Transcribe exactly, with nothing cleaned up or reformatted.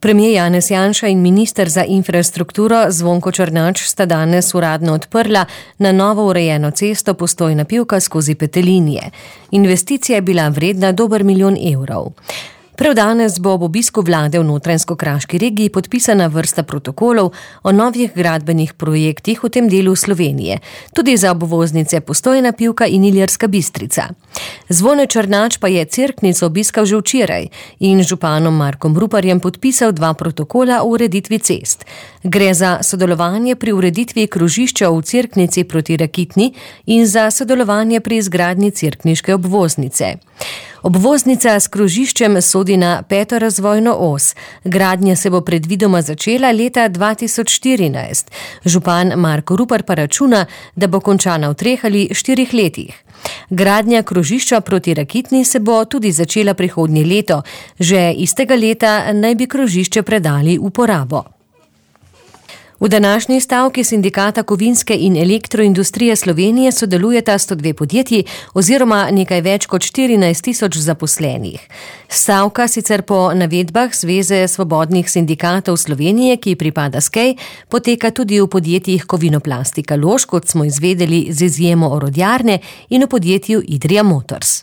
Premier Janez Janša in minister za infrastrukturo Zvonko Černač sta danes uradno odprla na novo urejeno cesto Postojna-Pivka skozi Petelinje. Investicija je bila vredna dober milijon evrov. Prav danes bo ob obisku vlade v Notranjsko-Kraški regiji podpisana vrsta protokolov o novih gradbenih projektih v tem delu Slovenije, tudi za obvoznice Postojna-Pivka in Ilirska Bistrica. Zvone Černač pa je Cerknico obiskal že včeraj in z županom Markom Ruparjem podpisal dva protokola o ureditvi cest. Gre za sodelovanje pri ureditvi krožišča v Cerknici proti Rakitni in za sodelovanje pri izgradnji cerkniške obvoznice. Obvoznica s krožiščem sodi na peto razvojno os. Gradnja se bo predvidoma začela leta dva tisoč štirinajst. Župan Marko Rupar pa računa, da bo končana v treh ali štirih letih. Gradnja krožišča proti Rakitni se bo tudi začela prihodnje leto. Že istega leta naj bi krožišče predali v porabo. V današnji stavki Sindikata kovinske in elektroindustrije Slovenije sodelujeta sto dve podjetji oziroma nekaj več kot štirinajst tisoč zaposlenih. Stavka sicer po navedbah Zveze svobodnih sindikatov Slovenije, ki pripada S K E I, poteka tudi v podjetjih Kovinoplastika Lož, kot smo izvedeli z izjemo orodjarne, in v podjetju Idrija Motors.